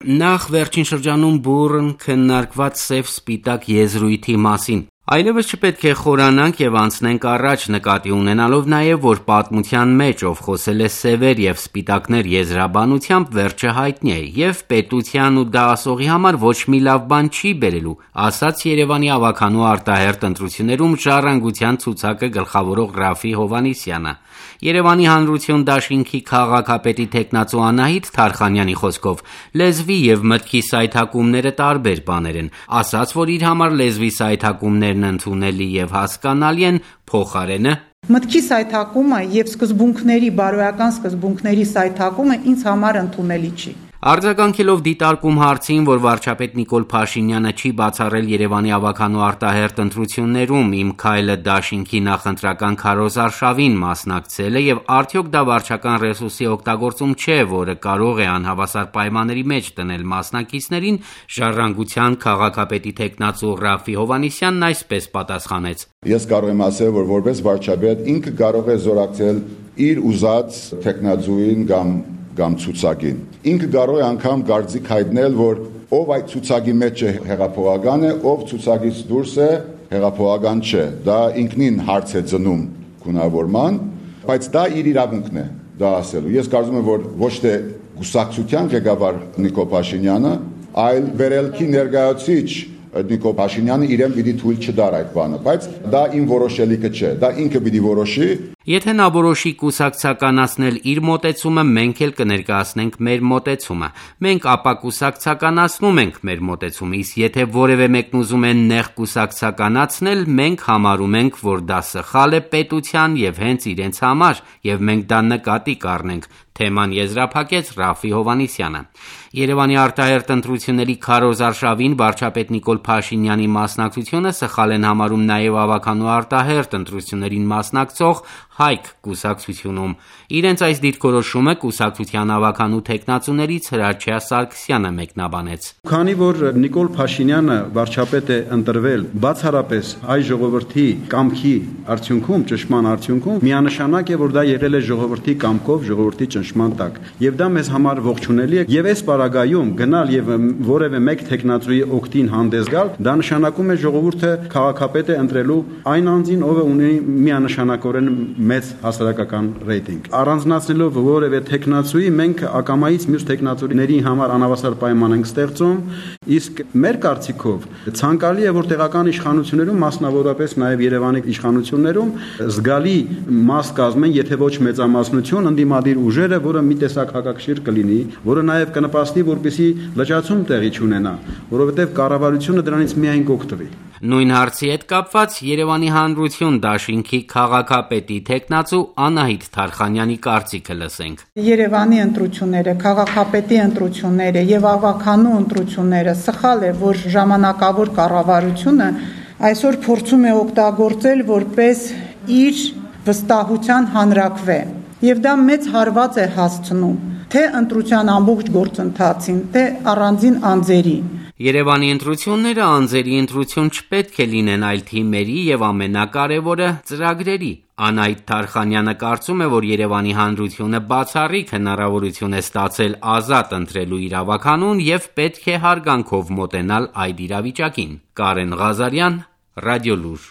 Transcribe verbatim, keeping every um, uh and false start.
Նախ վերջին շրջանում բուռն քննարկված սև-սպիտակ եզրույթի մասին։ Այլևս չպետք է խորանանք եւ անցնենք առաջ, նկատի ունենալով նաեւ, որ պատմության մեջ ով խոսել է սևեր եւ սպիտակներ եզրաբանությամբ, վերջը հայտնի է եւ պետության ու դասողի համար ոչ մի լավ բան չի բերելու, ասաց Երևանի ավականու արտահերթ ընտրություններում ժառանգության ցուցակը գլխավորող Ռաֆի Հովհաննիսյանը։ Երևանի Հանրություն դաշինքի քաղաքապետի թեկնածու Անահիտ Թարխանյանի խոսքով լեզվի եւ մտքի սայթակումները տարբեր բաներ են, ասաց, որ իր համար լեզվի սայթակումներն ընդունելի եւ հասկանալի են, փոխարենը մտքի սայթակումը եւ սկզբունքների բարոյական սկզբունքների սայթակումը ինձ համար ընդունելի չի։ Արձագանքելով դիտարկում հարցին, որ վարչապետ Նիկոլ Փաշինյանը չի բացառել Երևանի ավականու արտահերթ ընտրություններում իմ քայլը դաշինքի նախընտրական քարոզարշավին մասնակցել է եւ արդյոք դա վարչական ռեսուրսի օգտագործում չէ, որը կարող է անհավասար պայմանների մեջ դնել մասնակիցներին, Ժառանգության քաղաքապետի թեկնածու Ռաֆի Հովհաննիսյանն այսպես պատասխանեց. Ես կարող եմ ասել, որ որպես վարչապետ ինքը կարող է զորակցել իր ուզած թեկնածուին կամ կամ ցուցակին։ Ինքը կարող է անգամ կարծիք հայտնել, որ ով այդ ցուցակի մեջ է հեղափոխական է, ով ցուցակից դուրս է հեղափոխական չէ։ Դա ինքնին հարց է ծնում գունավորման, բայց դա իր իրավունքն է դա ասելու։ Ես կարծում եմ, որ ոչ թե կուսակցության ղեկավար Նիկոլ Փաշինյանը, այլ վերելքի ներկայացուցիչ Նիկոլ Փաշինյանը իրեն պիտի թույլ չտար այդ բանը, բայց դա իմ որոշելիքը չէ, դա ինքը պիտի որոշի։ Եթե նա որոշի կուսակցականացնել իր մոտեցումը, մենք էլ կներկայացնենք մեր մոտեցումը։ Մենք ապա կուսակցականացնում ենք մեր մոտեցումը, իսկ եթե որևէ մեկն ուզում է նեղ կուսակցականացնել, մենք համարում ենք, որ դա սխալ է պետության եւ հենց իրենց համար, եւ մենք դա նկատի կառնենք, թեման եզրափակեց Ռաֆի Հովհաննիսյանը։ Երևանի արտահերթ ընտրությունների քարոզարշավին վարչապետ Նիկոլ Փաշինյանի մասնակցությունը սխալ են համարում նաեւ ավականու արտահերթ ընտրություններին մասնակցող Հայք կուսակցությունում։ Իրենց այս դիրքորոշումը կուսակցության ավականու թեկնածուներից Հրաչյա Սարգսյանը մեկնաբանեց։ Քանի որ Նիկոլ Փաշինյանը վարչապետ է ընտրվել բացառապես հայ ժողովրդի կամքի արդյունքում, ճնշման արդյունքում, միանշանակ է, որ դա եղել է ժողովրդի կամքով, ժողովրդի ճնշման տակ։ Եվ դա մեզ համար ողջունելի է, եւ այս պարագայում գնալ եւ որևէ մեկ թեկնածուի օգտին հանդես գալ, դա նշանակում է ժողովուրդը քաղաքապետ է ընտրելու այն անձին, ով ունի միանշանակորեն մեծ հասարակական ռեյտինգ։ Առանձնացնելով որևէ թեկնածուի, մենք ակամայից մյուս թեկնածուների համար անհավասար պայման ենք ստեղծում, իսկ մեր կարծիքով ցանկալի է, որ տեղական իշխանություններում, մասնավորապես նաև Երևանի իշխանություններում զգալի մաս կազմեն, եթե ոչ մեծամասնություն, ընդդիմադիր ուժերը, որը մի տեսակ հակակշիռ կլինի, որը նաև կնպաստի, որպեսզի լճացում տեղի չունենա, որովհետև կառավարությունը դրանից միայն կօգտվի։ Նույն հարցի հետ կապված Երևանի Հանրություն դաշինքի քաղաքապետի թեկնածու Անահիտ Թարխանյանի կարծիքը լսենք։ Երևանի ընտրությունները, քաղաքապետի ընտրությունները եւ ավականու ընտրությունները սխալ է, որ ժամանակավոր կառավարությունը այսօր փորձում է օգտագործել որպես իր վստահության հանրակրվե։ Եվ դա մեծ հարված է հասցնում թե ընտրության ամբողջ գործընթացին, թե առանձին անձերի։ Երևանի ընտրությունները անձերի ընտրություն չպետք է լինեն, այլ թիմերի եւ ամենակարևորը ծրագրերի։ Անահիտ Թարխանյանը կարծում է, որ Երևանի Հանրությունը բացառիկ հնարավորություն է ստացել ազատ ընտրելու իր ավականուն եւ պետք է հարգանքով մոտենալ այդ իրավիճակին։ Կարեն Ղազարյան, Ռադիոլուր։